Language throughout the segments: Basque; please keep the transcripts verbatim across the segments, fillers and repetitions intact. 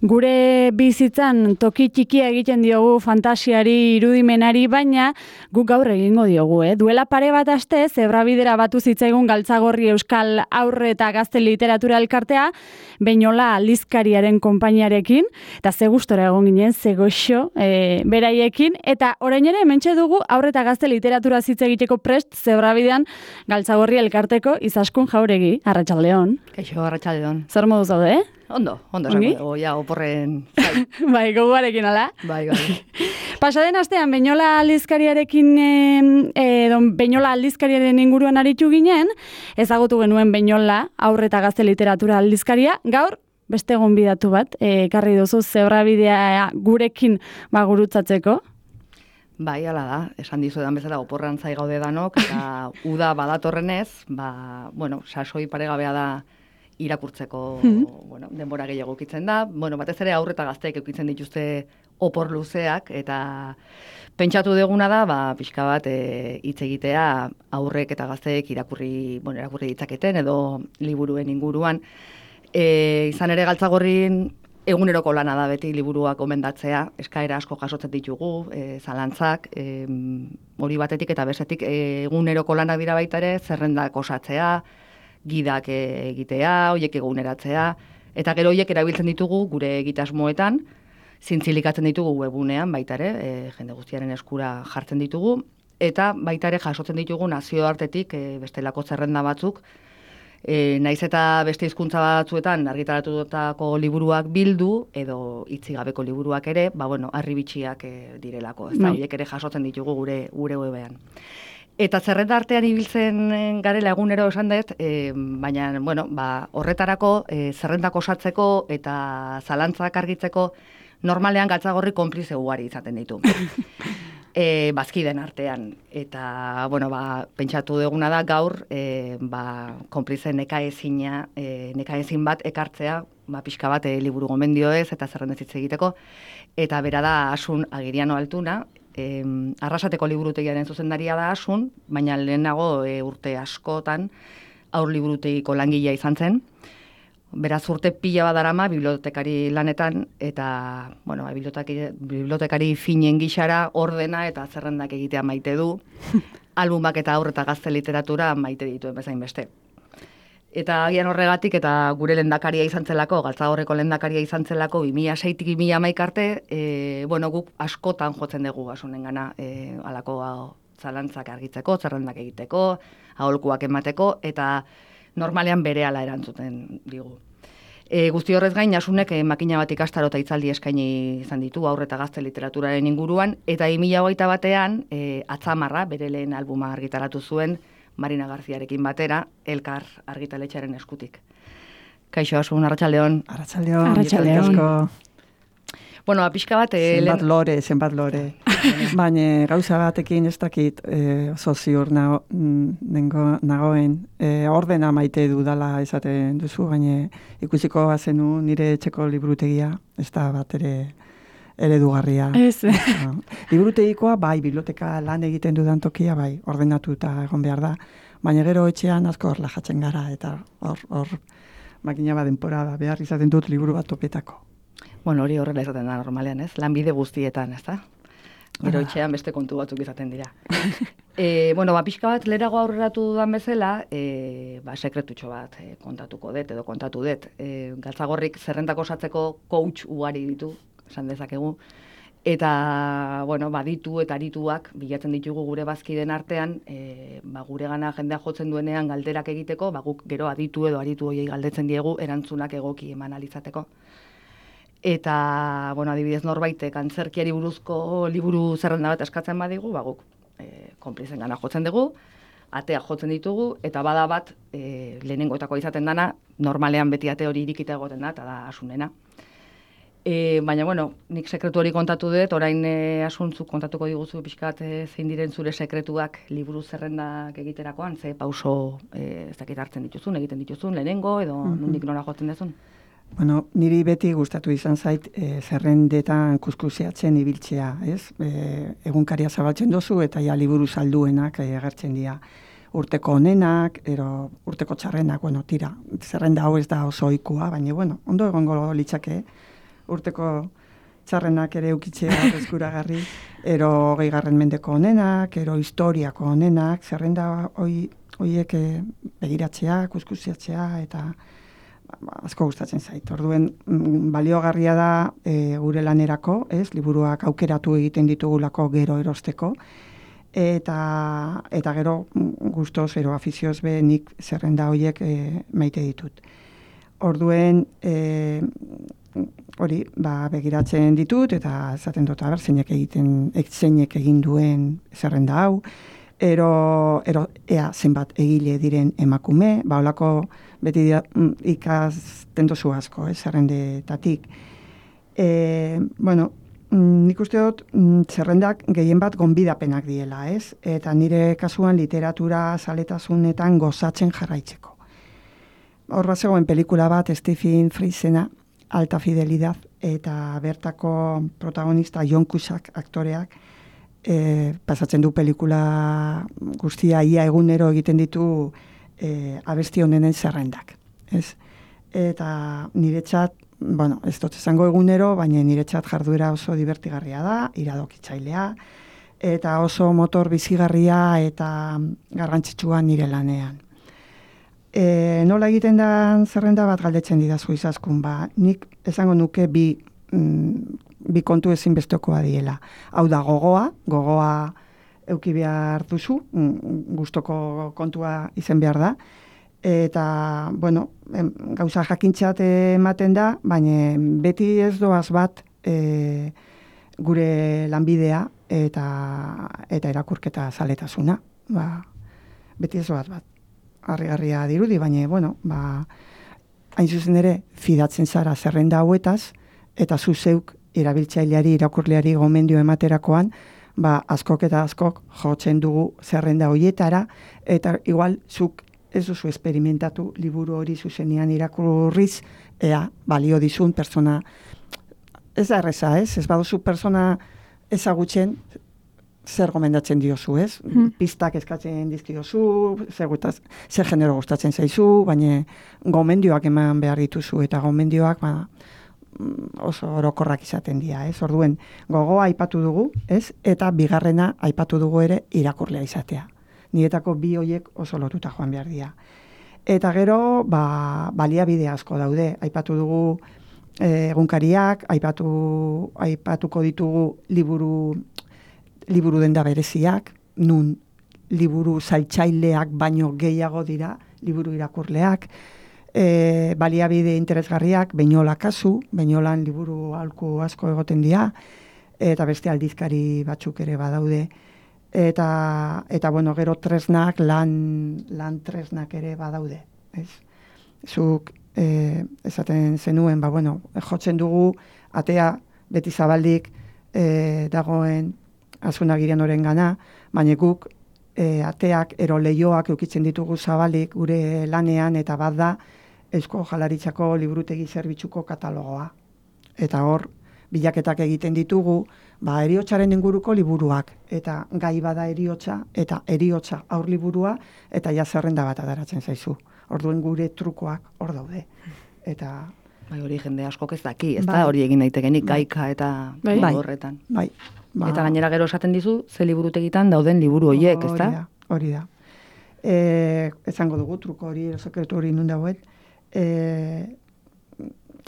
Gure bizitzan toki txikia egiten diogu fantasiari, irudimenari, baina guk gaur egingo diogu, eh? Duela pare bat aste, Zebrabidera batu zitzaigun Galtzagorri Euskal Aurre eta Gazte Literatura Elkartea, Beñola aldizkariaren konpainiarekin, eta ze gustora egon ginen, ze goxo e, beraiekin, eta orain ere hementxe dugu Aurre eta Gazte Literatura hitz egiteko prest Zebrabidean Galtzagorri Elkarteko Izaskun Jauregi. Arratsaldeon. Kaixo, arratsaldeon. Zer modu zaude, eh? Ondo, ondo esango dugu, ja, oporren zai. Bai, gogoarekin, ala? Bai, bai. Pasaden astean, Beñola aldizkariarekin, e, don Beñola aldizkariaren inguruan aritu ginen, ezagutu genuen Beñola Aurre eta Gazte Literatura aldizkaria, gaur, beste gonbidatu bat, ekarri duzu Zebrabidea gurekin ba, gurutzatzeko. Bai, ala da, esan dizuedan bezala oporran zai gaude danok, eta uda badatorrenez, ba, bueno, sasoi paregabea da irakurtzeko mm-hmm. bueno, denbora gehiago ukitzen da. Bueno, batez ere Aurre eta Gazteek ukitzen dituzte opor luzeak, eta pentsatu duguna da, ba, pixka bat hitz e, egitea aurrek eta gazteek irakurri, bueno, irakurri ditzaketen edo liburuen inguruan. E, izan ere Galtzagorrin eguneroko lana da beti liburuak gomendatzea, eskaera asko jasotzen ditugu, e, zalantzak, e, hori batetik eta bestetik e, eguneroko lanak dira baita ere, zerrendak osatzea, gidak egitea, hoiek eguneratzea, eta gero hoiek erabiltzen ditugu gure egitasmoetan, zintzilikatzen ditugu webunean baita ere, e, jende guztiaren eskura jartzen ditugu, eta baita ere jasotzen ditugu nazioartetik e, bestelako zerrenda batzuk, e, naiz eta beste hizkuntza batzuetan argitaratutako liburuak bildu, edo hitzik gabeko liburuak ere, ba bueno, harribitxiak e, direlako, ez da, hoiek ere jasotzen ditugu gure, gure webean. Eta zerrenda artean ibiltzen garela egunero esan dut, e, baina bueno, ba, horretarako e, zerrendak osatzeko eta zalantzak argitzeko normalean Galtzagorri konplize ugari izaten ditu. e, bazkiden artean. Eta bueno, ba, pentsatu duguna da gaur e, ba, konplize nekaezina, e, nekaezin bat ekartzea, ba, pixka bat e, liburu gomendioez eta zerrendez hitz egiteko. Eta bera da Asun Agiriano Altuna, E, Arrasateko liburutegiaren zuzendaria da Asun, baina lehenago e, urte askotan Aur liburutegiko langilea izan zen. Beraz urte pila badarama bibliotekari lanetan, eta bueno, bibliotekari, bibliotekari finen gixara ordena eta zerrendak egitea maite du, albumak eta Aurre eta Gazte Literatura maite dituen bezain beste. Eta agian horregatik, eta gure lehendakaria izan zelako, Galtzagorreko lehendakaria izan zelako, bi mila seitik bi mila hamaika arte, e, bueno, guk askotan jotzen dugu Asunen gana, e, alako zalantzak argitzeko, zerrendak egiteko, aholkuak emateko, eta normalean berehala erantzuten digu. E, guzti horrez gain, Asunek e, makina bat ikastaro eta hitzaldi eskaini izan ditu Aurre eta Gazte Literaturaren inguruan, eta bi mila hogeita batean, e, Atzamarra, bere lehen albuma argitaratu zuen, Marina Garziarekin batera, Elkar argitaletxearen eskutik. Kaixo, Asun, arratsaldeon. Arratsaldeon. Arratsaldeon. Bueno, pixka bat... Zenbat lore, zenbat lore. Baina gauza batekin ez dakit e, oso ziur nago, nengo, nagoen. E, ordena maite dudala esaten duzu, baina ikusiko bazenu nire etxeko liburutegia, ez da bat ere eredugarria. Ez. No. Liburutegikoa, bai, biblioteka lan egiten dudan tokia, bai, ordenatuta egon behar da, baina gero etxean asko hor lajatzen gara, eta hor, hor, makina bat denpora behar izaten dut liburu bat topetako. Bueno, hori horrela izaten da normalean, ez? Lanbide guztietan, ez da? Gero etxean beste kontu batzuk izaten dira. e, bueno, ba, pixka bat, lerago aurreratu dudan bezala, e, ba, sekretutxo bat e, kontatuko dut, edo kontatu dut. E, Galtzagorrik zerrendak osatzeko coach ugari ditu, esan dezakegu, eta, bueno, baditu eta arituak bilatzen ditugu gure bazkiden artean, e, ba, gure gana jendea jotzen duenean galderak egiteko, ba, guk gero aditu edo aritu hoiei galdetzen diegu erantzunak egoki eman alizateko. Eta, bueno, adibidez norbaitek antzerkiari buruzko liburu zerrenda bat eskatzen badigu, ba, guk e, konplizen gana jotzen dugu, atea jotzen ditugu, eta bada bat e, lehenengoetako izaten dana, normalean beti ate hori irikita egoten da, eta da Asunena. E, baina, bueno, nik sekretu hori kontatu dut, orain e, Asuntzuk kontatuko diguzu pixkat e, zein diren zure sekretuak liburu zerrendak egiterakoan, ze pauso e, ez dakit hartzen dituzun, egiten dituzun, lehenengo, edo mm-hmm. nondik nora jotzen duzun? Bueno, niri beti gustatu izan zait e, zerrendetan kuskuseatzen ibiltzea, ez? E, egunkaria zabaltzen dozu eta ja liburu salduenak e, agertzen dira. Urteko onenak, ero urteko txarrenak, bueno, tira, zerrenda hau ez da oso ohikoa, baina, bueno, ondo egongo litzake urteko txarrenak ere eukitzea eskuragarri, ero hogeigarren mendeko onenak, ero historiako onenak, zerrenda hoi, hoiek begiratzea, kuskusiatzea, eta ba, asko gustatzen zait. Orduen, baliogarria da e, gure lanerako, ez, liburuak aukeratu egiten ditugulako gero erosteko, eta, eta gero gustoz, ero afizioz be, nik zerrenda hoiek e, maite ditut. Orduen, e, hori, ba, begiratzen ditut, eta esaten dut, aber, zeinek egiten, zeinek egin duen zerrenda hau, ero, ero ea zenbat egile diren emakume, ba, holako beti dia, ikasten dozu asko, eh, zerrendetatik. E, bueno, nik uste dut, zerrendak gehien bat gonbidapenak diela, ez? Eta nire kasuan literatura zaletasunetan gozatzen jarraitzeko. Hor bat zegoen pelikula bat, Stephen Freisena, Alta Fidelidad, eta bertako protagonista John Cusack aktoreak, e, pasatzen du pelikula guztia ia egunero egiten ditu e, abesti honenen zerrendak. Ez? Eta niretzat, bueno, ez dut esango egunero, baina niretzat jarduera oso divertigarria da, iradokitzailea, eta oso motor bizigarria eta garrantzitsua nire lanean. E, nola egiten da zerrenda bat galdetzen didazu izaskun, ba, nik esango nuke bi, mm, bi kontu ezinbestekoa diela. Hau da gogoa, gogoa euki behar duzu, mm, gustoko kontua izen behar da, eta, bueno, em, gauza jakintzat ematen da, baina beti ez doaz bat e, gure lanbidea eta, eta erakurketa zaletasuna. Ba, beti ez doaz bat. Harrigarria dirudi, baina, bueno, ba, hain zuzen ere, fidatzen zara zerrenda hauetaz, eta zu zeuk erabiltzaileari, irakurleari gomendio ematerakoan, ba, askok eta askok jotzen dugu zerrenda hoietara, eta igual zuk ez duzu esperimentatu liburu hori zuzenean irakurriz, ea, balio dizun persona, ez da erreza, ez? Ez baduzu persona ezagutzen, zer gomendatzen diozu, ez? Hmm. Pistak eskatzen dizkiozu, zer, gutaz, zer genero gustatzen zaizu, baina gomendioak eman behar dituzu, eta gomendioak ba, oso orokorrak izaten dira, ez? Orduen, gogoa aipatu dugu, ez? Eta bigarrena aipatu dugu ere irakurlea izatea. Niretako bi hoiek oso lotuta joan behar dira. Eta gero, ba, baliabide asko daude, aipatu dugu eh, egunkariak, aipatu, aipatuko ditugu liburu liburu denda bereziak, nun liburu zailtzaileak baino gehiago dira, liburu irakurleak, e, baliabide interesgarriak, Beñola kasu, Beñolan liburu aholku asko egoten dira, eta beste aldizkari batzuk ere badaude, eta, eta bueno, gero tresnak, lan, lan tresnak ere badaude, ez? Zuk, e, esaten zenuen, ba, bueno, jotzen dugu, atea beti zabaldik e, dagoen azunagirian oren gana, baina guk e, ateak ero leioak eukitzen ditugu zabalik gure lanean, eta bat da Eusko Jaurlaritzako liburutegi zerbitzuko katalogoa. Eta hor, bilaketak egiten ditugu, ba, eriotsaren inguruko liburuak, eta gai bada eriotsa, eta eriotsa aur liburua, eta ja zerrenda bat adaratzen zaizu. Orduen gure trukoak hor daude. Eta bai, hori jende askok ez daki, ez da hori egin daitekenik gaika eta bai. horretan. Bai. Ba, eta gainera gero esaten dizu, ze liburutegitan dauden liburu horiek, ez da? Hori da. E, esango dugu, truko hori, sekretu hori nun dagoen. E,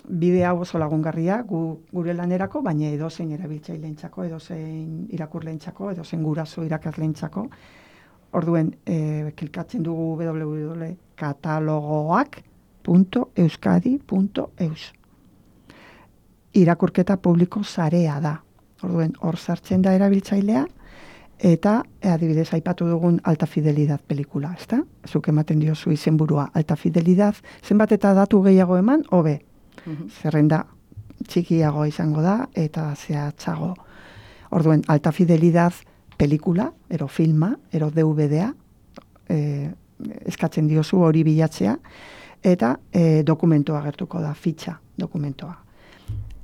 bide hau oso lagungarria, gu, gure lanerako, baina edozein erabiltzaileentzako, edozein irakurleentzako, edozein guraso irakasleentzako. Orduen, e, klikatzen dugu w w w punto katalogoak punto euskadi punto eus. Irakurketa publiko sarea da. Orduen, hor sartzen da erabiltzailea, eta adibidez aipatu dugun Alta Fidelidad pelikula, ezta? Zuk ematen diozu izenburua Alta Fidelidad, zenbat eta datu gehiago eman, hobe. Uh-huh. Zerrenda txikiago izango da, eta zehatzago. Orduen, Alta Fidelidad pelikula, ero filma, ero D V D-a, e, eskatzen diozu hori bilatzea, eta e, dokumentoa gertuko da, fitxa dokumentoa.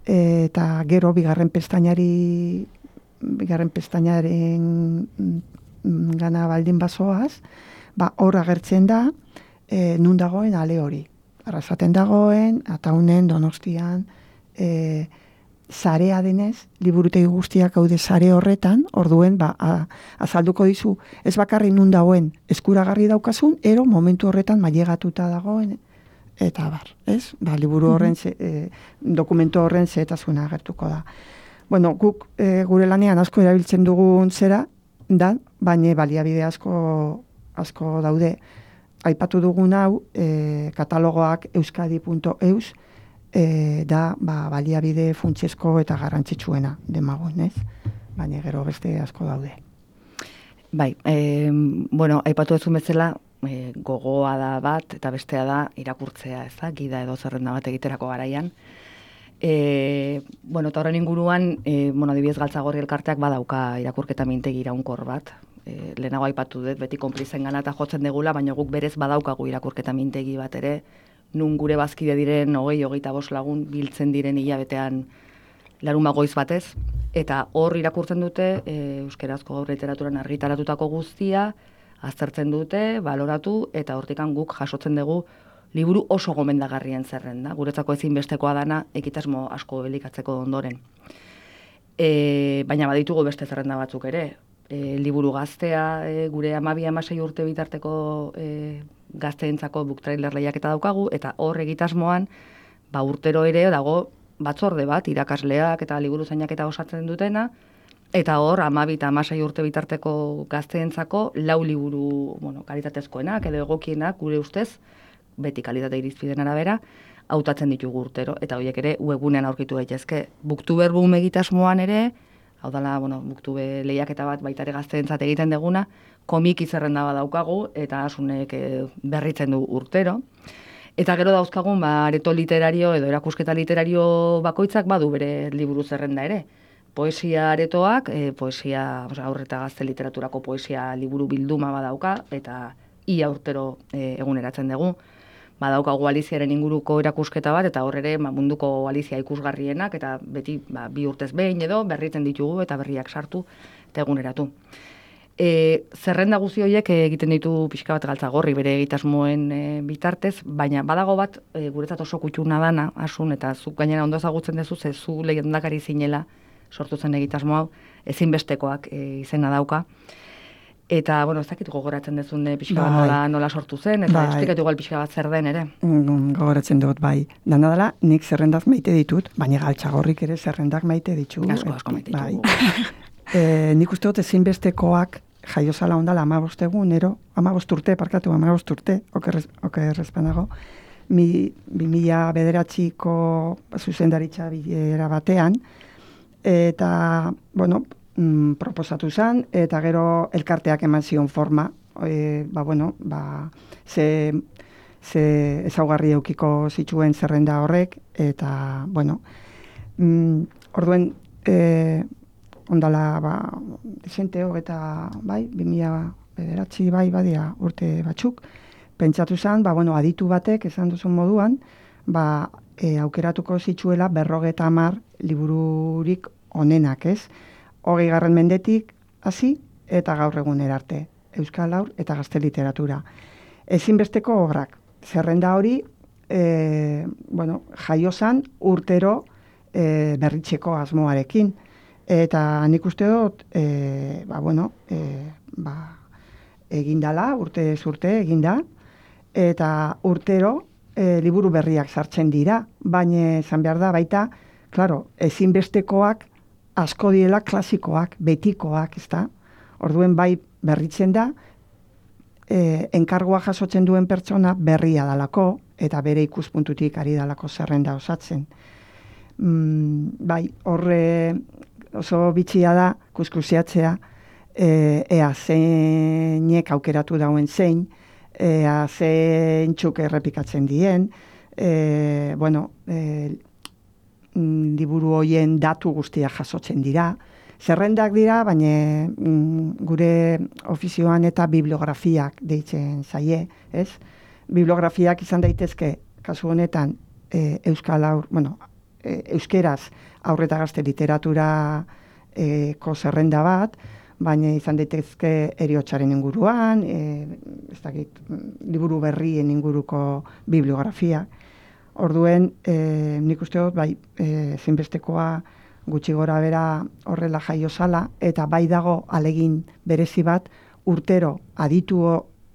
Eta gero bigarren pestainari bigarren pestainaren gana baldin bazoaz, ba hor agertzen da e, nun dagoen ale hori. Arrasaten dagoen, Ataunen, Donostian, e, sarea denez, liburutegi guztiak gaude sare horretan, orduen, ba, a, azalduko dizu, ez bakarri nun dagoen eskuragarri daukazun, ero momentu horretan mailegatuta dagoen, eta bar, ez? Ba, liburu horren, ze, e, dokumento horren zehetasuna agertuko da. Bueno, guk e, gure lanean asko erabiltzen dugun zera, da, baina baliabide asko, asko daude. Aipatu dugun hau, e, katalogoak euskadi punto eus, E, da ba, baliabide funtsezko eta garrantzitsuena demagoen, ez? Baina gero beste asko daude. Bai, e, bueno, aipatu ez bezala, e, gogoa da bat, eta bestea da irakurtzea, ez da, gida edo zerrenda bat egiterako garaian. E, bueno, eta horren inguruan, e, bueno, adibidez Galtzagorri elkarteak badauka irakurketa mintegi iraunkor bat. E, lehenago aipatu dut, beti konplizen gana eta jotzen degula, baina guk berez badaukagu irakurketa mintegi bat ere, nun gure bazkide diren hogei, hogeita bost lagun biltzen diren hilabetean larun goiz batez, eta hor irakurtzen dute e, euskerazko gaur literaturan argitaratutako guztia, aztertzen dute, baloratu, eta hortikan guk jasotzen dugu liburu oso gomendagarrien zerrenda, guretzako ezinbestekoa dana ekitasmo asko elikatzeko ondoren. E, baina baditugu beste zerrenda batzuk ere, e, liburu gaztea, e, gure amabi amasei urte bitarteko e, gazteentzako book trailer lehiaketa daukagu, eta hor egitasmoan, ba urtero ere dago batzorde bat, irakasleak eta liburu zainak eta osatzen dutena, eta hor amabi eta amasei urte bitarteko gazteentzako lau liburu, bueno, kalitatezkoenak edo egokienak gure ustez, beti kalitate irizpideen arabera, hautatzen ditugu urtero, eta horiek ere webgunean aurkitu daitezke. Booktuber boom egitasmoan ere, hau dela, bueno, Booktube lehiaketa bat baita ere gazteentzat egiten deguna, komiki zerrenda bat daukagu, eta asunek e, berritzen du urtero. Eta gero dauzkagun, ba, areto literario edo erakusketa literario bakoitzak badu bere liburu zerrenda ere. Poesia aretoak, e, poesia, aurre eta gazte literaturako poesia liburu bilduma badauka, eta ia urtero e, eguneratzen dugu. Badaukagu Aliziaren inguruko erakusketa bat, eta hor ere ba, munduko Alizia ikusgarrienak, eta beti ba, bi urtez behin edo berritzen ditugu eta berriak sartu eta eguneratu. E, zerrenda guzti horiek egiten ditu pixka bat Galtzagorri bere egitasmoen e, bitartez, baina badago bat e, guretzat oso kutxuna dana, asun, eta zuk gainera ondo ezagutzen duzu, ze zu lehendakari zinela sortu zen egitasmo hau, ezinbestekoak e, izena dauka. Eta, bueno, ez dakit gogoratzen dezun pixka bat nola, nola sortu zen, eta bai. Esplikatu igual pixka bat zer den ere. Mm, gogoratzen dut, bai. Dana dela, nik zerrendak maite ditut, baina Galtzagorrik ere zerrendak maite ditu. Asko, asko maite ditugu. Bai. e, nik uste dut ezinbestekoak jaiozala ondala amabost egunero, amabost urte, parkatu, amabost urte, okerrezpanago, mi, bi mila bederatxiko zuzendaritza bilera batean, eta, bueno, proposatu zen, eta gero elkarteak eman zion forma, e, ba, bueno, ba, ze, ze ezaugarri eukiko zituen zerrenda horrek, eta, bueno, mm, orduen, e, ondala, ba, desente hogeta, bai, bi mila bederatzi, bai, badia urte batzuk, pentsatu zen, ba, bueno, aditu batek, esan duzun moduan, ba, e, aukeratuko zituela berrogeta hamar libururik onenak, ez? Hogei garren mendetik hasi eta gaur egunera arte, euskal haur eta gazte literatura. Ezinbesteko obrak, zerrenda hori, e, bueno, jaiozan urtero e, berritzeko asmoarekin. Eta nik uste dut, e, ba, bueno, e, ba, egindala, urte zurte eginda, eta urtero e, liburu berriak sartzen dira, baina esan behar da baita, claro, ezinbestekoak asko diela klasikoak, betikoak, ezta? Orduen bai berritzen da, e, enkargua jasotzen duen pertsona berria dalako, eta bere ikuspuntutik ari dalako zerrenda osatzen. Mm, bai, horre oso bitxia da, kuskusiatzea, e, ea zeinek aukeratu dauen zein, ea zein txuk errepikatzen dien, e, bueno, e, liburu hoien datu guztiak jasotzen dira. Zerrendak dira, baina mm, gure ofizioan eta bibliografiak deitzen zaie, ez? Bibliografiak izan daitezke, kasu honetan, e, euskal aur, bueno, e, euskeraz aurreta gazte literatura e, ko zerrenda bat, baina izan daitezke heriotzaren inguruan, e, ez dakit, liburu berrien inguruko bibliografia. Orduen, e, nik uste dut, bai, e, zinbestekoa gutxi gora bera horrela jaio zala, eta bai dago alegin berezi bat, urtero aditu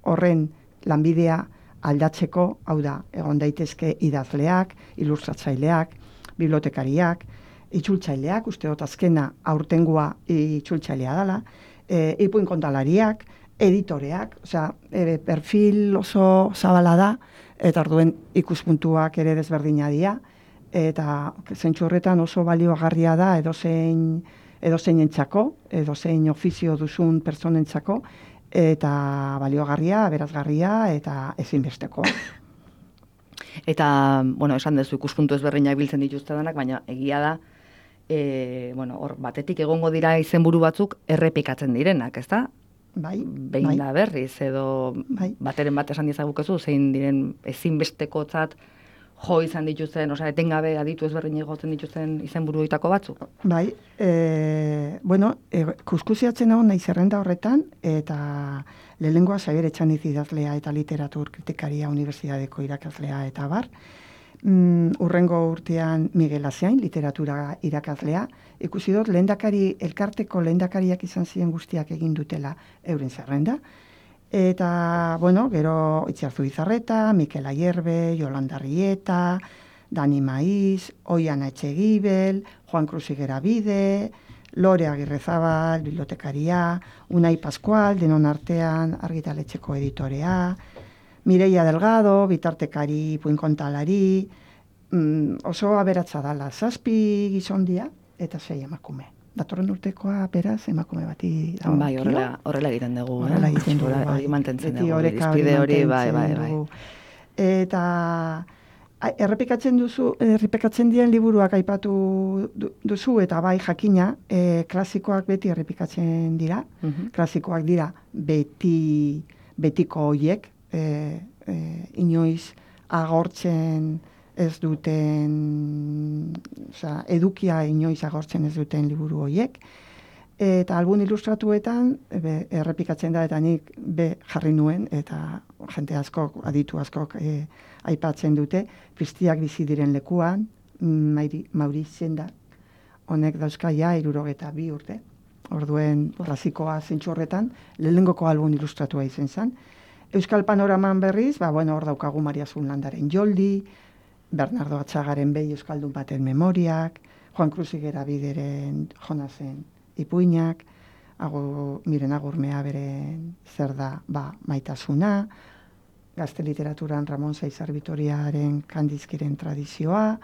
horren lanbidea aldatzeko, hau da, egon daitezke idazleak, ilustratzaileak, bibliotekariak, itzultzaileak, uste dut azkena aurtengua itzultzailea dela, e, ipuin kontalariak, editoreak, osea, e, perfil oso zabala da, eta orduen ikuspuntuak ere desberdina dira, eta zentzu horretan oso baliogarria da edozein edozeinentzako, edozein ofizio duzun pertsonentzako, eta baliogarria, berazgarria, eta ezinbestekoa. Eta, bueno, esan duzu ikuspuntu ezberdinak biltzen dituzte denak, baina egia da, e, bueno, hor batetik egongo dira izenburu batzuk errepikatzen direnak, ezta? Bai, behin bai. da berriz, edo Bai. bateren bat esan dizagukezu, zein diren ezinbestekotzat jo izan dituzten, osea, etengabe aditu ezberdin egoten dituzten izenburuetako batzuk? Bai, e, bueno, e, kuskusiatzen hau nahi zerrenda horretan, eta lehenengoa Xabier Etxaniz idazlea eta literatur kritikaria unibertsitateko irakaslea eta bar. Mm, urrengo urtean Miguel Azain, literatura irakaslea. Ikusi dut, lehendakari, elkarteko lehendakariak izan ziren guztiak egin dutela euren zerrenda. Eta, bueno, gero Itziarzu Izarreta, Mikel Ayerbe, Yolanda Rieta, Dani Maiz, Oiana Etxegibel, Juan Cruz Igerabide, Lore Agirrezabal, bibliotekaria, Unai Pascual, denon artean argitaletxeko editorea, Mireia Delgado, bitartekari, puinkontalari, mm, oso aberatza dala, zazpi gizondia eta sei emakume. Datorren urtekoa, beraz, emakume bati dago. Bai, horrela, horrela egiten dugu. Horrela eh? egiten dugu, Hori bai. mantentzen Beti dugu, oreka hori irizpide hori, bai, bai, mantentzen bai. dugu. Eta a- errepikatzen duzu, errepikatzen dien liburuak aipatu du- duzu, eta bai jakina, e, klasikoak beti errepikatzen dira. Mhm. Klasikoak dira beti, betiko hoiek, e, e, inoiz agortzen ez duten, osea, edukia inoiz agortzen ez duten liburu hoiek. Eta album ilustratuetan be, errepikatzen da, eta nik be jarri nuen, eta jente askok, aditu askok e, aipatzen dute, Piztiak bizi diren lekuan, Mauri, Mauritzen da, honek dauzka ja hirurogeta bi urte. Orduen klasikoa zentzu horretan, lehenengoko album ilustratua izen zen. Euskal Panoraman berriz, ba, bueno, hor daukagu Maria Zunlandaren Joldi, Bernardo Atxagaren behi Euskaldun baten memoriak, Juan Cruz Igerabideren Jonasen ipuinak, agur, miren agurmea beren zer da, ba, maitasuna, gazte literaturan Ramon Zaizar Vitoriaren Kandizkiren tradizioa,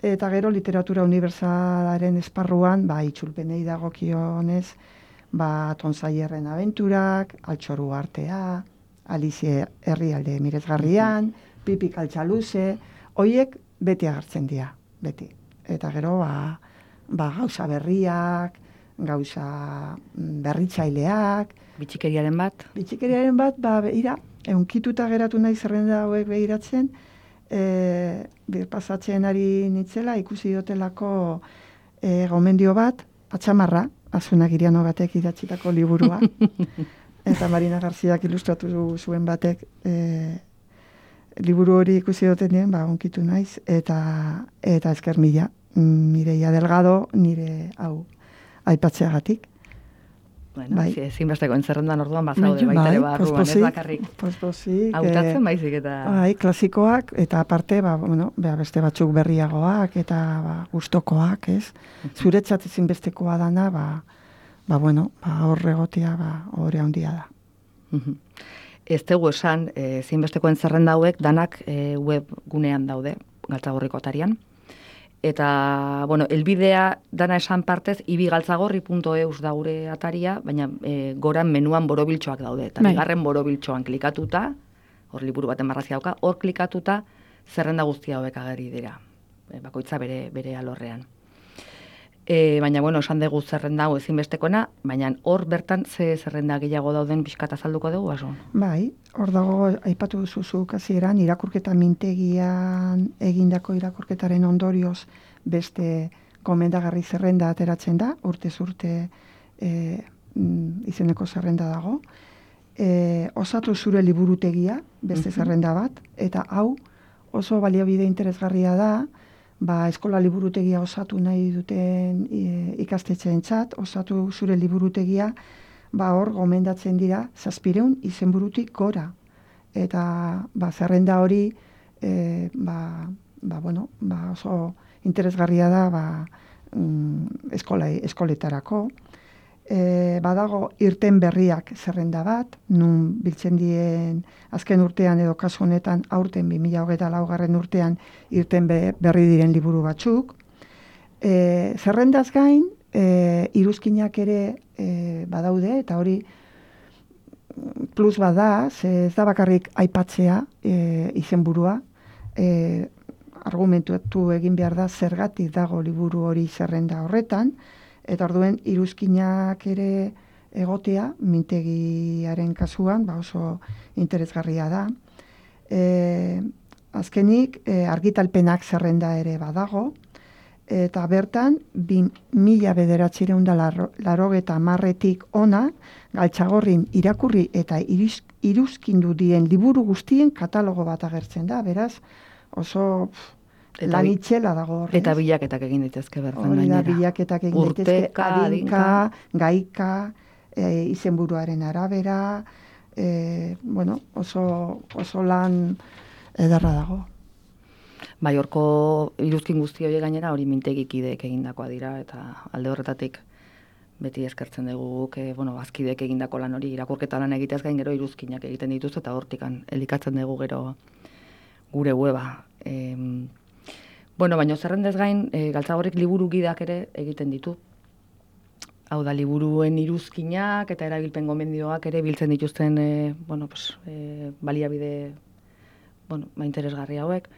eta gero literatura unibertsalaren esparruan, ba, itzulpenei dagokionez, ba, Tonzaierren abenturak, Altxoru artea, Alizie herrialde mirezgarrian, Pipi Kaltzaluze, hoiek beti agertzen dira, beti. Eta gero, ba, ba gauza berriak, gauza berritzaileak, Bitxikeriaren bat? Bitxikeriaren bat, ba, beira, eunkituta geratu nahi zerrenda hauek behiratzen, e, pasatzen ari nitzela, ikusi dotelako e, gomendio bat, Atxamarra, Azuna Giriano batek idatzitako liburua, eta Marina Garziak ilustratu zuen batek e, liburu hori ikusi dutenean, ba, onkitu naiz, eta, eta esker mila, Mireia Delgado, nire hau aipatzeagatik. Bueno, bai. Ezinbesteko entzerrendan orduan bazaude Bai, baita ere barruan, ez pospozik, bakarrik. pospozik, Hautatzen eh, baizik eta... Bai, klasikoak, eta aparte, ba, bueno, bea beste batzuk berriagoak, eta ba, gustokoak, ez? Zuretzat ezinbestekoa dana, ba, ba, bueno, ba, horregotia, ba, horre handia da. Mhm. Ez dugu esan, ezinbesteko entzerrenda hauek danak e, web gunean daude, Galtzagorriko atarian. Eta, bueno, elbidea dana esan partez, ibigaltzagorri puntu eus da gure ataria, baina e, goran menuan borobiltxoak daude. Eta Bai. bigarren borobiltxoan klikatuta, hor liburu baten marrazia dauka, hor klikatuta zerrenda guztia hauek ageri dira. E, bakoitza bere, bere alorrean. E, baina, bueno, esan dugu zerrenda hau ezinbestekoena, baina hor bertan ze zerrenda gehiago dauden pixkat azalduko dugu, baso? Bai, hor dago, aipatu duzu hasieran irakurketa mintegian egindako irakurketaren ondorioz beste komendagarri zerrenda ateratzen da, urtez urte e, izeneko zerrenda dago. E, osatu zure liburutegia, beste zerrenda bat, eta hau oso baliabide interesgarria da, ba, eskola liburutegia osatu nahi duten e, ikastetxeentzat, osatu zure liburutegia, ba, hor gomendatzen dira zazpireun izenburutik gora. Eta ba, zerrenda hori e, ba, ba, bueno, ba, oso interesgarria da ba, mm, eskola, eskoletarako. E, badago irten berriak zerrenda bat, nun biltzen dien azken urtean edo kasu honetan aurten bi mila hogeita laugarren urtean irten be, berri diren liburu batzuk. E, zerrendaz gain, e, iruzkinak ere e, badaude, eta hori plus bada, ze ez da bakarrik aipatzea e, izenburua, e, argumentuatu egin behar da zergatik dago liburu hori zerrenda horretan, eta orduen iruzkinak ere egotea, mintegiaren kasuan, ba oso interesgarria da. E, azkenik, e, argitalpenak zerrenda ere badago, eta bertan, bi mila bederatzireun da larogeta marretik ona, Galtzagorrin irakurri eta iruz, iruzkindu dien liburu guztien katalogo bat agertzen da, beraz, oso pff, lan itxela dago horrez. Eta bilaketak egin daitezke bertan gainera. gainera. Hori da, bilaketak egin daitezke, Urteka, adinka, gaika, e, izenburuaren arabera, e, bueno, oso, oso lan ederra dago. Bai, horko iruzkin guzti horiek gainera hori mintegikideek egindakoa dira, eta alde horretatik beti eskertzen dugu guk, e, bueno, bazkideek egindako lan hori irakurketa lan egiteaz gain gero iruzkinak egiten dituzte, eta hortikan elikatzen dugu gero gure weba. E, bueno, baina zerrendez gain, e, Galtzagorrik liburu gidak ere egiten ditu. Hau da, liburuen iruzkinak eta erabilpen gomendioak ere biltzen dituzten e, bueno, pues, e, baliabide bueno, ba, interesgarri hauek.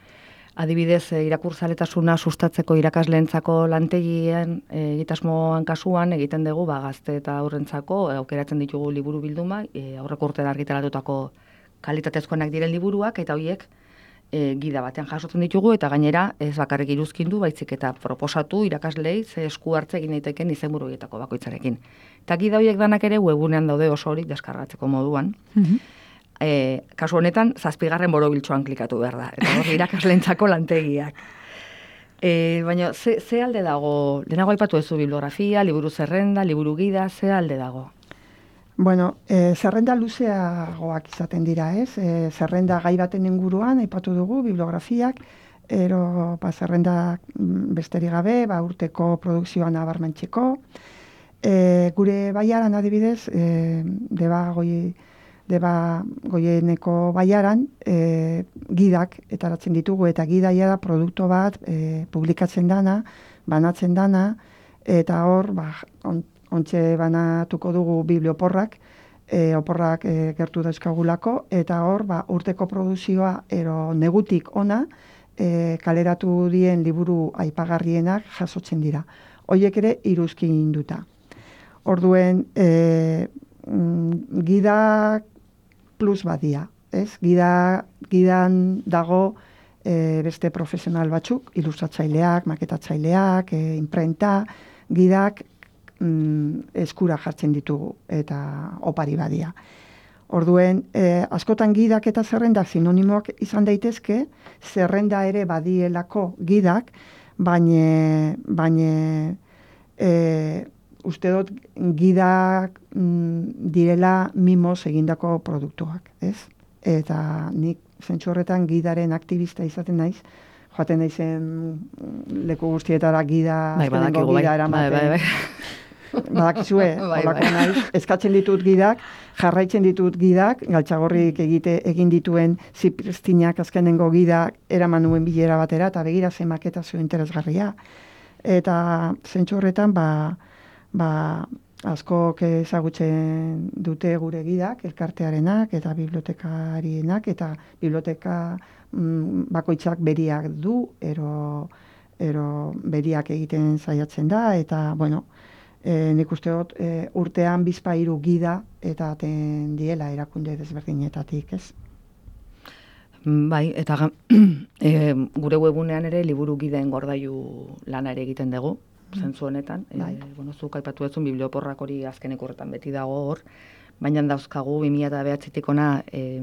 Adibidez, e, irakurzaletasuna sustatzeko irakasleentzako lantegien e, egitasmoan kasuan egiten dugu ba, gazte eta aurrentzako e, aukeratzen ditugu liburu bilduma, e, aurreko urtean argitaratutako kalitatezkoenak diren liburuak, eta horiek e, gida batean jasotzen ditugu, eta gainera ez bakarrik iruzkindu, baizik eta proposatu irakaslei ze esku hartze egin daiteken izenburu horietako bakoitzarekin. Eta gida horiek danak ere webunean daude oso hori deskargatzeko moduan. Mm-hmm. E, kasu honetan, zazpigarren borobiltxoan klikatu behar da. Eta hori irakaslentzako lantegiak. E, baina, ze, ze alde dago? Lehenago aipatu ezu bibliografia, liburu zerrenda, liburu gida, ze alde dago? Bueno, e, zerrenda luzeagoak izaten dira, ez? E, zerrenda gai baten inguruan, aipatu dugu, bibliografiak, ero ba, zerrenda besterik gabe, ba, urteko produkzioan abarmentzeko. E, gure baiaran adibidez, e, deba goi... Deba goieneko baiaran e, gidak etaratzen ditugu, eta gidaia da produktu bat e, publikatzen dana, banatzen dana, eta hor, ba, on, ontxe banatuko dugu biblioporrak, e, oporrak e, gertu dauzkagulako, eta hor, ba, urteko produzioa ero negutik ona e, kaleratu dien liburu aipagarrienak jasotzen dira. Hoiek ere iruzkin duta. Orduen, e, mm, gidak plus badia, ez? Gida, gidan dago e, beste profesional batzuk, ilustratzaileak, maketatzaileak, e, imprenta, gidak mm, eskura jartzen ditugu, eta opari badia. Orduen, e, askotan gidak eta zerrendak sinonimoak izan daitezke, zerrenda ere badielako gidak, baina, baina e, uste dut gidak mm, direla mimoz egindako produktuak, ez? Eta nik zentzu horretan gidaren aktivista izaten naiz, joaten naizen leku guztietara gida, bai, badakigu, bai, eramaten. Bai, bai, bai. Badakizue, bai, holako bai. naiz, eskatzen ditut gidak, jarraitzen ditut gidak, Galtzagorrik egite egin dituen zipristinak azkenengo gidak eraman nuen bilera batera, eta begira ze maketa zu interesgarria. Eta zentzu horretan, ba, ba, askok ezagutzen dute gure gidak, elkartearenak eta bibliotekarienak, eta biblioteka mm, bakoitzak beriak du, ero, ero beriak egiten saiatzen da, eta, bueno, e, nik uste dut e, urtean bizpahiru gida eta aten diela erakunde desberdinetatik, ez? Bai, eta e, gure webunean ere liburu gideen gordailu lana ere egiten dugu, zentzu honetan. Bai. E, bueno, zuk aipatu duzun biblioporrak hori azkeneko horretan beti dago hor, baina dauzkagu bi mila bederatzitik ona e,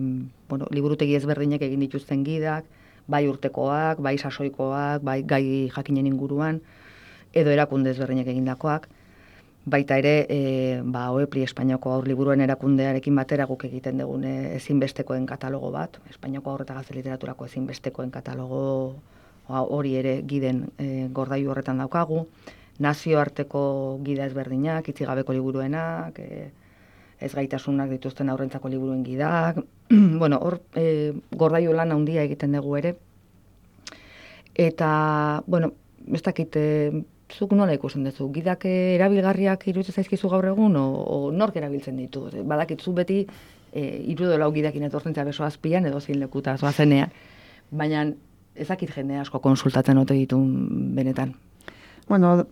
bueno, liburutegi ezberdinek egin dituzten gidak, bai urtekoak, bai sasoikoak, bai gai jakinen inguruan, edo erakunde ezberdinek egindakoak. Baita ere, e, ba, Oepli Espainiako aur liburuen erakundearekin batera guk egiten dugun ezinbestekoen katalogo bat, Espainiako aur eta gazte literaturako ezinbestekoen katalogo hori ere giden e, gordailu horretan daukagu, nazioarteko gida ezberdinak, itzigabeko liburuenak, e, ez gaitasunak dituzten aurrentzako liburuen gidak, bueno, hor e, gordailu lan handia egiten dugu ere, eta, bueno, ez dakit, e, zuk nola ikusten duzu, gidak erabilgarriak iruditzen zaizkizu gaur egun, o, o nork erabiltzen ditu? Badakitzu beti e, irudo lau gidakin etortzen zea beso azpian, edo zein lekuta zoazenean, baina ezakit jende asko konsultatzen ote ditun benetan. Bueno,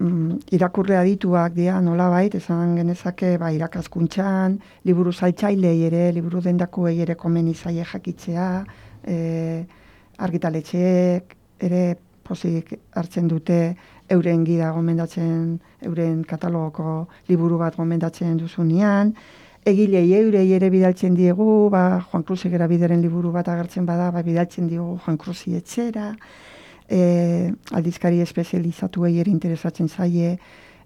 irakurle adituak dira nolabait, esan genezake ba, irakaskuntzan, liburu zaitzailei ere, liburu dendakuei ere komeni zaie jakitzea, e, argitaletxeek ere pozik hartzen dute euren gida gomendatzen, euren katalogoko liburu bat gomendatzen duzunean, egilei eurei ere bidaltzen diegu, ba, Juan Cruz Bideren liburu bat agertzen bada, ba, bidaltzen diegu Juan Cruzi etxera, e, aldizkari espezializatuei ere interesatzen zaie,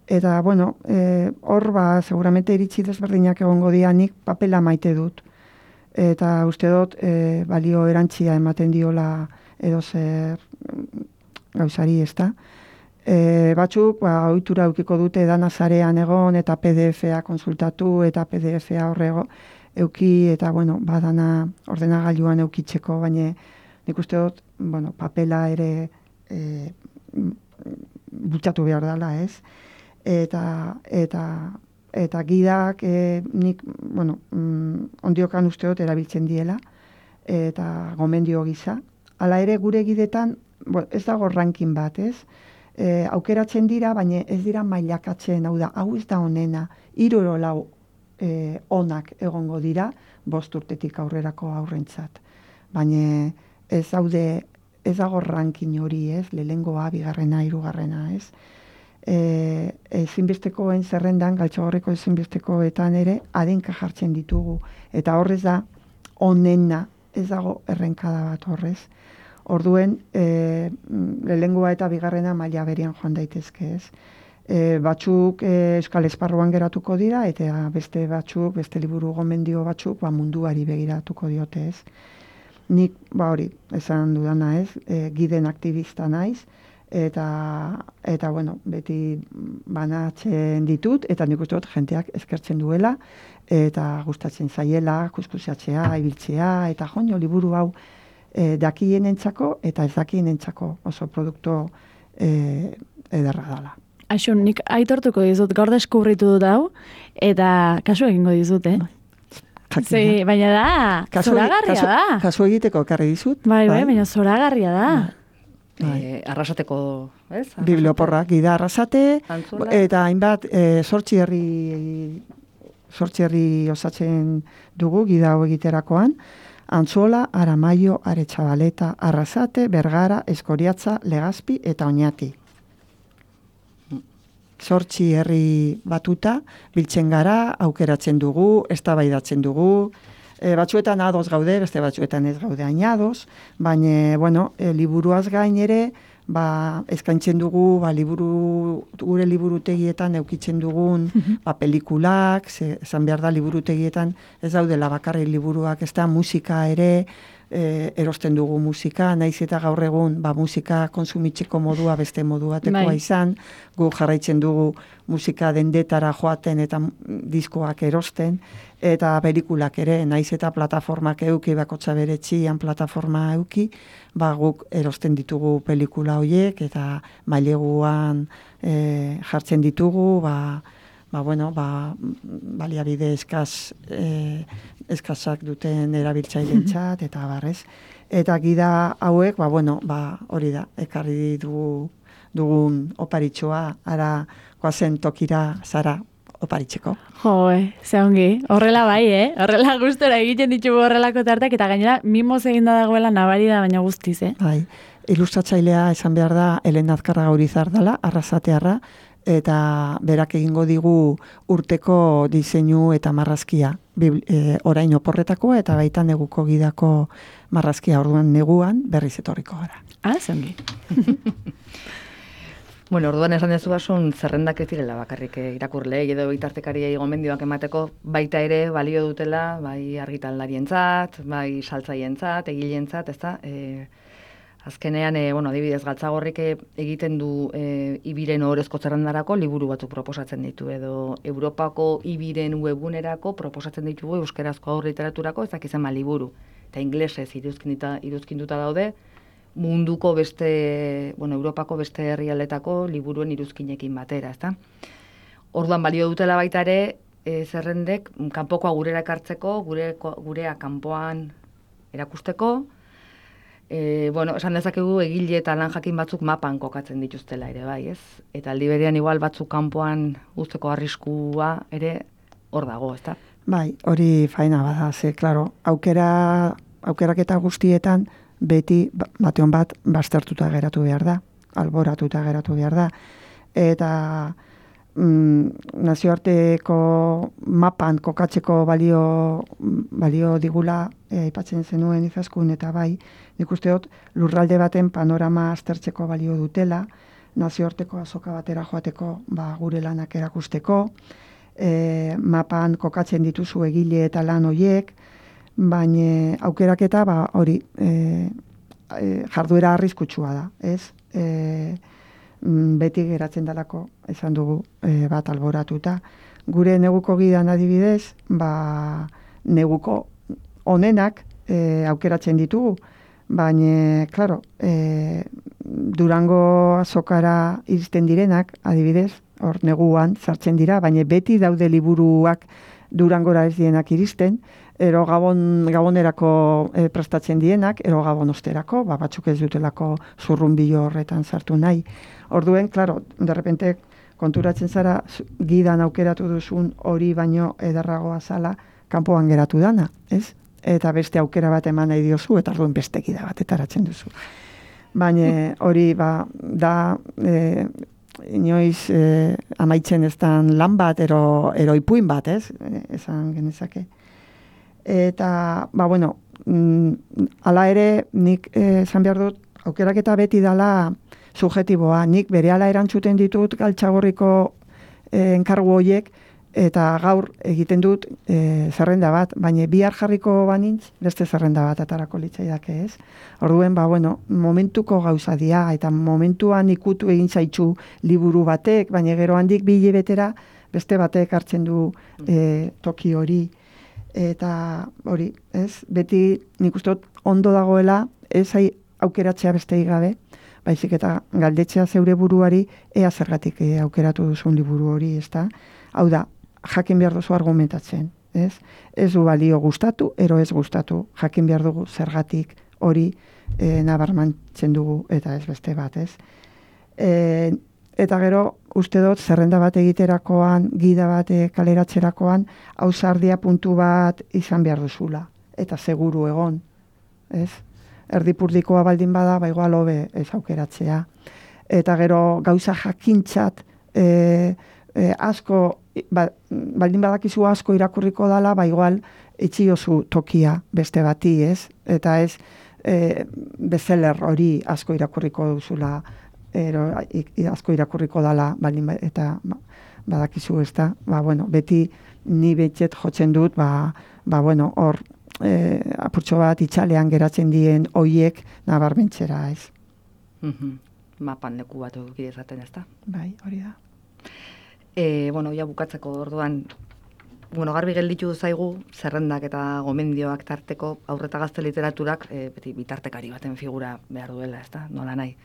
eta, bueno, e, hor, ba, seguramente iritsi desberdinak egongo dianik papela maite dut, eta uste dut, e, balio erantzia ematen diola edo zer gauzari, ez da? E, batzuk, ba, ohitura eukiko dute dana sarean egon, eta P D F-a konsultatu, eta P D F-a horrego euki, eta, bueno, badana ordenagailuan eukitzeko, baina nik uste dut, bueno, papela ere e, bultzatu behar dela, ez? Eta, eta, eta gidak, e, nik, bueno, mm, ondiokan uste dut erabiltzen diela, eta gomendio gisa. Hala ere, gure gidetan, bueno, ez dago ranking bat, ez? E, aukeratzen dira, baina ez dira mailakatzen, hau da, hau ez da onena, hiru edo lau e, onak egongo dira, bost urtetik aurrerako aurrentzat. Baina ez daude, ez dago ranking hori, ez? Lehengoa, bigarrena, hirugarrena, ez? E, ezinbestekoen zerrendan, Galtzagorreko ezinbestekoetan ere, adinka jartzen ditugu. Eta horrez da, onena, ez dago errenkada bat horrez. Orduen, e, lehengoa eta bigarrena maila berian joan daitezke, ez? E, batzuk e, euskal esparruan geratuko dira, eta beste batzuk, beste liburu gomendio batzuk, ba, munduari begiratuko diote, ez? Nik, ba hori, esan dudana, ez? E, giden aktivista naiz, eta, eta bueno, beti banatzen ditut, eta nik uste dut jenteak eskertzen duela, eta gustatzen zaiela, kuskusatzea, ibiltzea, eta joño, liburu hau, E, dakienentzako eta ez dakienentzako oso produktu e, ederra dela. Aixun, nik aitortuko dizut, gaur deskubritu dut hau, eta kasu egingo dizut, eh? Zai, baina da, kasu, zoragarria kasu, da. Kasu egiteko ekarri dizut. Bai, bai, baina zoragarria da. E, arrasateko, ez? Arrasate. Biblioporrak gida arrasate, Antzuela. eta hainbat e, sortzi herri sortzi herri osatzen dugu gida hau egiterakoan, Antzuola, Aramaio, Aretxabaleta, Arrasate, Bergara, Eskoriatza, Legazpi eta Oñati. Zortzi herri batuta, biltzen gara, aukeratzen dugu, eztabaidatzen dugu, e, batzuetan ados gaude, beste batzuetan ez gaude ainados, baina, bueno, e, liburuaz gain ere, ba, eskaintzen dugu, ba, liburu, gure liburutegietan eukitzen dugun, ba, pelikulak, ze, esan behar da liburutegietan ez daudela bakarri liburuak, ez da musika ere, e, erosten dugu musika, naiz eta gaur egun, ba, musika konsumitzeko modua beste modu batekoa Bai. izan, gu jarraitzen dugu musika dendetara joaten eta diskoak erosten, eta pelikulak ere, naiz eta plataformak euki, bakotxa bere txian plataforma euki, ba, guk erosten ditugu pelikula horiek, eta maileguan e, jartzen ditugu, ba, ba, bueno, ba, baliabide eskaz, e, eskazak duten erabiltzailentzat, eta barrez. Eta gida hauek, ba, bueno, ba, hori da, ekarri dugu, dugun oparitxoa, ara goazen tokira zara oparitzeko. Jo, ze ongi, horrela bai, eh? Horrela gustora egiten ditugu horrelako tartak, eta gainera mimoz eginda dagoela nabari da, baina guztiz, eh? Bai, ilustratzailea esan behar da Elena Azkarraga Urizar dela, arrasatearra, eta berak egingo digu urteko diseinu eta marrazkia, e, orain oporretakoa eta baita neguko gidako marrazkia, orduan neguan berriz etorriko gara. Ah, zongi. Bueno, orduan esan dezu basun zerrendak ez direla bakarrik irakurleei edo bitartekariei gomendioak emateko, baita ere balio dutela, bai argitaldarientzat, bai saltzaientzat, egilentzat, ezta? E, azkenean, e, bueno, adibidez Galtzagorrik egiten du e, ibiren ohorezko zerrendarako liburu batzuk proposatzen ditu edo Europako ibiren webunerako proposatzen ditugu euskarazko aur literaturako ezak izan ma liburu eta inglesez iruzkinduta iruzkinduta daude. Munduko beste, bueno, Europako beste herrialdetako liburuen iruzkinekin batera, ezta? Orduan balio dutela baita ere, e, zerrendek kanpokoa gurera ekartzeko, gure gurea kanpoan erakusteko. E, bueno, esan dezakegu egile eta lan jakin batzuk mapan kokatzen dituztela ere bai, ez? Eta aldi berean igual batzuk kanpoan guzteko arriskua ere hor dago, ezta? Bai, hori faena bada, ze, claro, aukera aukeraketa guztietan beti bateon bat baztertuta geratu behar da, alboratuta geratu behar da. Eta mm, nazioarteko mapan kokatzeko balio, balio digula e, aipatzen zenuen Izaskun, eta bai, nik uste dut lurralde baten panorama aztertzeko balio dutela, nazioarteko azoka batera joateko ba, gure lanak erakusteko, e, mapan kokatzen dituzu egile eta lan hoiek, baina aukeraketa ba hori e, e, jarduera arriskutsua da, ez? E, beti geratzen dalako esan dugu e, bat alboratuta. Gure neguko gidan adibidez, ba neguko onenak e, aukeratzen ditugu, baina claro, e, Durango azokara iristen direnak adibidez, hor neguan sartzen dira, baina beti daude liburuak Durangora ez dienak iristen, ero gabon, gabonerako e, prestatzen dienak, ero gabon osterako, ba, batzuk ez dutelako zurrunbilo horretan sartu nahi. Orduen, klaro, derrepente konturatzen zara, gidan aukeratu duzun hori baino ederragoa zala, kanpoan geratu dana, ez? Eta beste aukera bat eman nahi diozu, eta orduen beste gida bat etaratzen duzu. Baina hori, ba, da... E, inoiz eh, amaitzen ez dan lan bat, ero, ero ipuin bat, ez? Esan genezake. Eta, ba, bueno, mm, ala ere, nik eh, esan behar dut, aukeraketa beti dala subjetiboa. Nik berehala erantzuten ditut Galtzagorriko eh, enkargu horiek, eta gaur egiten dut e, zerrenda bat, baina bihar jarriko banintz, beste zerrenda bat atarako litzaidake, ez? Orduen, ba, bueno, momentuko gauza dia, eta momentuan ikutu egin zaitzu liburu batek, baina gero handik bi hilabetera beste batek hartzen du e, toki hori. Eta hori, ez? Beti nik uste dut ondo dagoela, ez hai aukeratzea beste gabe, baizik eta galdetzea zeure buruari, ea zergatik e, aukeratu duzun liburu hori, ez da? Hau da, jakin behar duzu argumentatzen, ez? Ez du balio gustatu, ero ez gustatu, jakin behar dugu zergatik hori e, nabarmantzen dugu, eta ez beste bat, ez? E, eta gero, uste dut, zerrenda bat egiterakoan, gida bat kaleratzerakoan, ausardia puntu bat izan behar duzula, eta seguru egon, ez? Erdipurdikoa baldin bada, ba igual hobe ez aukeratzea. Eta gero, gauza jakintzat, e, E, asko, ba, baldin badakizu asko irakurriko dala, ba igual itxiozu tokia beste bati, ez? Eta ez e, bezeler hori asko irakurriko duzula, ero, asko irakurriko dala, baldin ba, eta ba, badakizu ez da, ba, bueno, beti ni betxet jotzen dut, ba, ba bueno, hor e, apurtxo bat itxalean geratzen dien hoiek nabarmentzera, ez? Mm-hmm. Mapan leku bat eduki dezaten, ez da? Bai, hori da. E, bueno, ja bukatzeko orduan, bueno, garbi gelditu zaigu, zerrendak eta gomendioak tarteko aurreta gazte literaturak e, beti bitartekari baten figura behar duela, ez da? Nola nahi,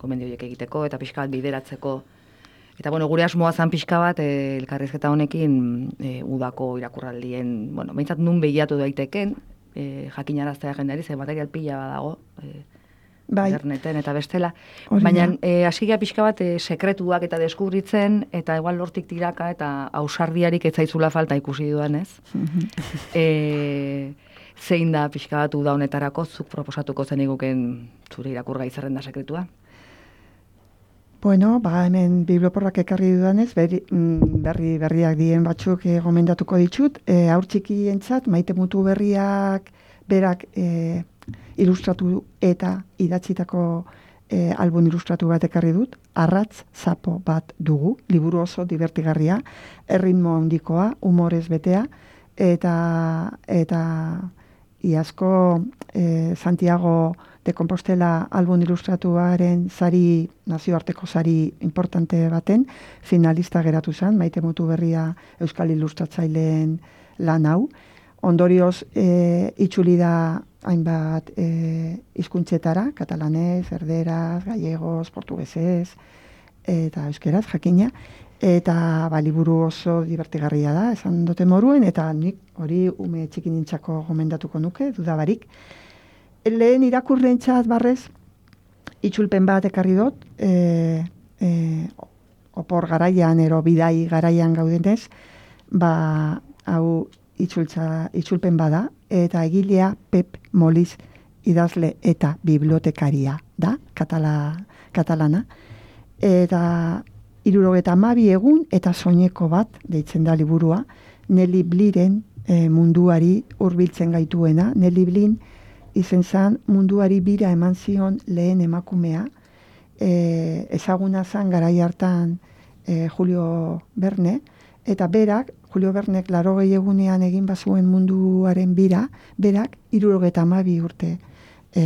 gomendioiek egiteko eta pixka bat bideratzeko. Eta, bueno, gure asmoa zan pixka bat, e, elkarrizketa honekin e, udako irakurraldien, bueno, behintzat nun behiatu daiteken, e, jakinaraztea jendari, ze material pila badago, e, bai. Interneten eta bestela. Hori Baina da. e, asigia pixka bat e, sekretuak eta deskubritzen, eta igual lortik tiraka eta ausardiarik ez zaizula falta ikusi duan, ez? e, zein da pixka bat uda honetarako zuk proposatuko zen iguken zure irakurgai zerrenda sekretua? Bueno, ba, hemen biblioporrak ekarri dudanez, berri, berri berriak dien batzuk e, gomendatuko ditut. E, Haur txikientzat, Maite Mutu Berriak berak e, ilustratu eta idatzitako e, album ilustratu bat ekarri dut. Arratz zapo bat dugu, liburu oso divertigarria, erritmo handikoa, humorez betea, eta eta iazko e, Santiago de Compostela album ilustratuaren sari, nazioarteko sari importante baten, finalista geratu zen, Maite Mutu Berria euskal ilustratzaileen lan hau. Ondorioz, e, itzuli da hainbat e, hizkuntzetara, katalanez, erderaz, gallegos, portugesez, eta euskeraz, jakina, eta ba, liburu oso divertigarria da, esan dute moruen, eta nik hori ume txikinintzako gomendatuko nuke, dudabarik. Lehen irakurrentzat barrez, itzulpen bat ekarri dut, e, e, opor garaian, ero bidai garaian gaudenez, ba, hau itzultza, itzulpen bada, eta egilea Pep Moliz idazle eta bibliotekaria da, katala, katalana, eta hirurogeta hamabi egun eta soineko bat, deitzen da liburua, Nelly Bliren e, munduari hurbiltzen gaituena. Nelly Blin izen zan munduari bira eman zion lehen emakumea, e, ezaguna zan garai hartan e, Julio Verne, eta berak, Julio Vernek laurogei egunean egin bazuen munduaren bira, berak hirurogeta hamabi urte e,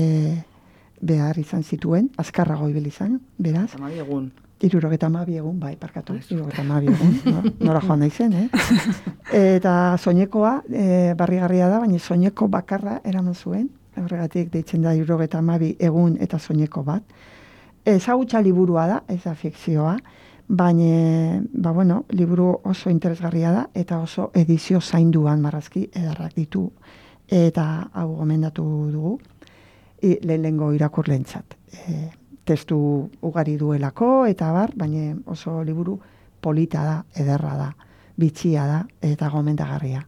behar izan zituen, azkarrago ibili izan, beraz. hamabi egun. Hirurogeta hamabi egun, bai, parkatu, hirurogeta hamabi egun, no? Nora joan nahi zen, eh? Eta soinekoa, e, barrigarria da, baina soineko bakarra eraman zuen, horregatik deitzen da hirurogeta hamabi egun eta soineko bat. Ezagutza liburua da, ez da fikzioa, baina, ba bueno, liburu oso interesgarria da, eta oso edizio zainduan marrazki edarrak ditu, eta hau gomendatu dugu, I, lehenengo irakurlentzat. E, testu ugari duelako, eta bar, baina oso liburu polita da, ederra da, bitxia da, eta gomendagarria.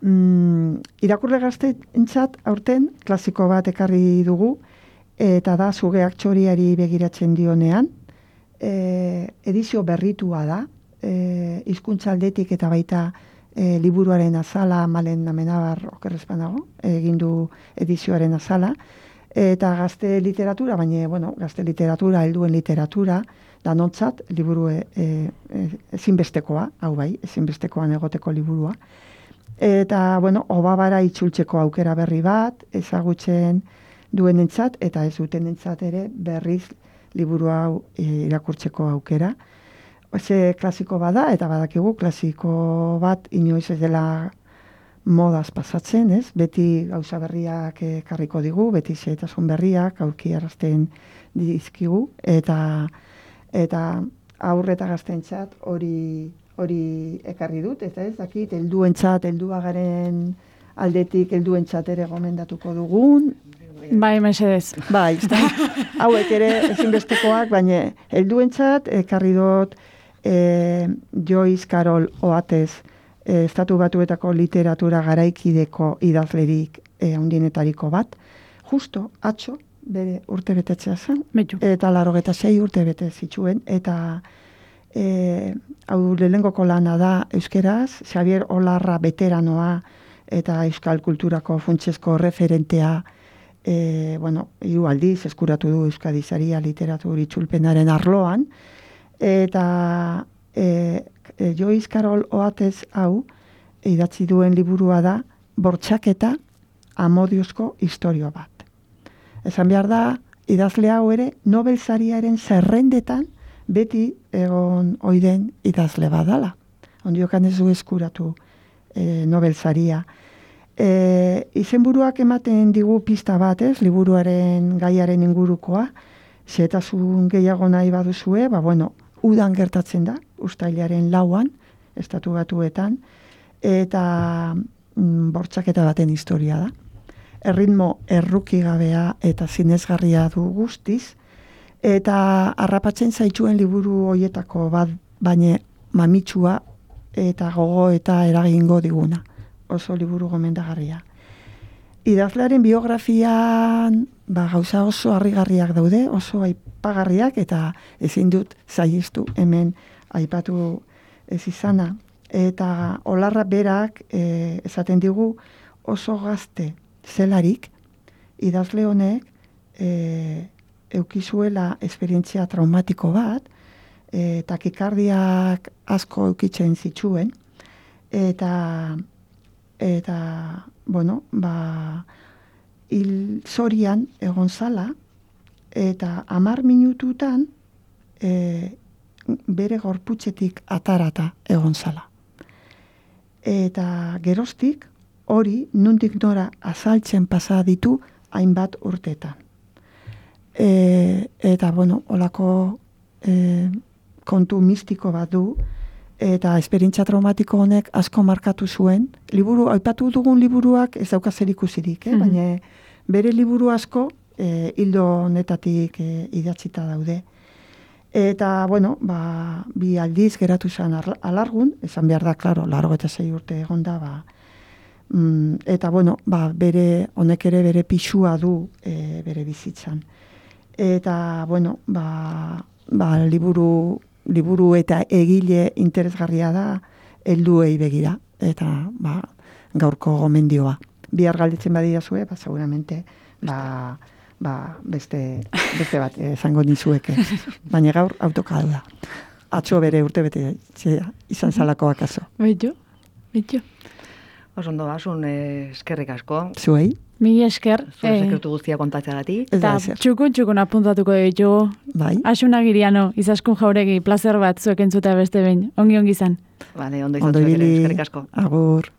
Mm, irakurle gazteentzat aurten klasiko bat ekarri dugu, eta da Zugeak txoriari begiratzen dionean, e, edizio berritua da, e, hizkuntza aldetik eta baita e, liburuaren azala, Malen Amenabar okerrezpanago, egin du edizioaren azala, eta gazte literatura, baina, bueno, gazte literatura, helduen literatura, danontzat, liburu e, e, ezinbestekoa, hau bai, ezinbestekoan egoteko liburua. Eta, bueno, obabara itzultzeko aukera berri bat, ezagutzen duenentzat, eta ez dutenentzat ere berriz liburu hau e, irakurtzeko aukera. Ze klasiko bada, eta badakigu klasiko bat inoiz ez dela modaz pasatzen, ez? Beti gauza berriak ekarriko digu, beti xehetasun berriak aurkiarazten dizkigu, eta eta aurreta gaztentzat hori hori ekarri dut, eta ez dakit, helduentzat, helduagaren aldetik helduentzat ere gomendatuko dugun. Bai, mesedez. Bai, hauek ere ezinbestekoak, baina helduentzat ekarri dut e, Joyce Carol Oates, e, Estatu Batuetako literatura garaikideko idazlerik e, handienetariko bat, justo atzo bere urte betetzea zen, Betu. eta larogeta sei urte bete zituen, eta E, hau lehengoko lana da euskeraz, Xavier Olarra veteranoa eta euskal kulturako funtsezko referentea, e, bueno, hiru aldiz eskuratu du Euskadi Saria literatur itzulpenaren arloan, eta e, e, Joyce Carol Oates hau idatzi duen liburua da Bortxaketa amodiozko historio bat. Esan behar da, idazle hau ere Nobel Sariaren zerrendetan beti egon oiden idazle badala. Ondiokan ez du eskuratu e, Nobel Saria. E, izenburuak ematen digu pista bat, ez, liburuaren gaiaren ingurukoa, xehetasun gehiago nahi baduzue, ba bueno, udan gertatzen da, uztailaren lauan, Estatu Batuetan, eta mm, bortxaketa baten historia da. Erritmo errukigabea eta zinezgarria du guztiz, eta harrapatzen zaituen liburu hoietako bat, baina mamitsua eta gogo eta eragingo diguna. Oso liburu gomendagarria. Idazlearen biografian ba, gauza oso harrigarriak daude, oso aipagarriak, eta ezin dut saihestu hemen aipatu ez izana. Eta Olarra berak e, esaten digu oso gazte zelarik, idazle honek e, eukizuela esperientzia traumatiko bat, e, takikardiak asko eukitzen zituen, eta, eta bueno, ba, hil zorian egon zala, eta hamar minututan e, bere gorputzetik atarata egon zala. Eta geroztik hori nundik nora azaltzen pasa ditu hainbat urtetan. E, eta, bueno, olako e, kontu mistiko bat du, eta esperientzia traumatiko honek asko markatu zuen. Liburu, aipatu dugun liburuak ez dauka zer ikusirik, eh? Baina bere liburu asko e, hildo honetatik e, idatzita daude. Eta, bueno, ba, bi aldiz geratu zen alargun, esan behar da, klaro, largo eta zei urte egon da, ba, mm, eta, bueno, ba, bere, honek ere bere pixua du e, bere bizitzan. Eta, bueno, ba, ba, liburu, liburu eta egile interesgarria da helduei begira, eta, ba, gaurko gomendioa. Bihar galditzen badia zue, ba, seguramente, ba, ba, beste, beste bat esango nizueke. Baina gaur autokadu da. Atzo bere urte bete izan zalako akaso. Beitu, beitu. Osondo basun, eh, eskerrik asko. Zuei? Mi esker. Zure sekretu guztia kontatzeagatik. Eta txukun txukun apuntatuko ditugu. Bai. Asuna Giriano, Izaskun Jauregi, plazer bat zuek entzuta beste behin. Ongi ongi izan. Vale, ondo izan zuek ere, eskerrik asko. Agur.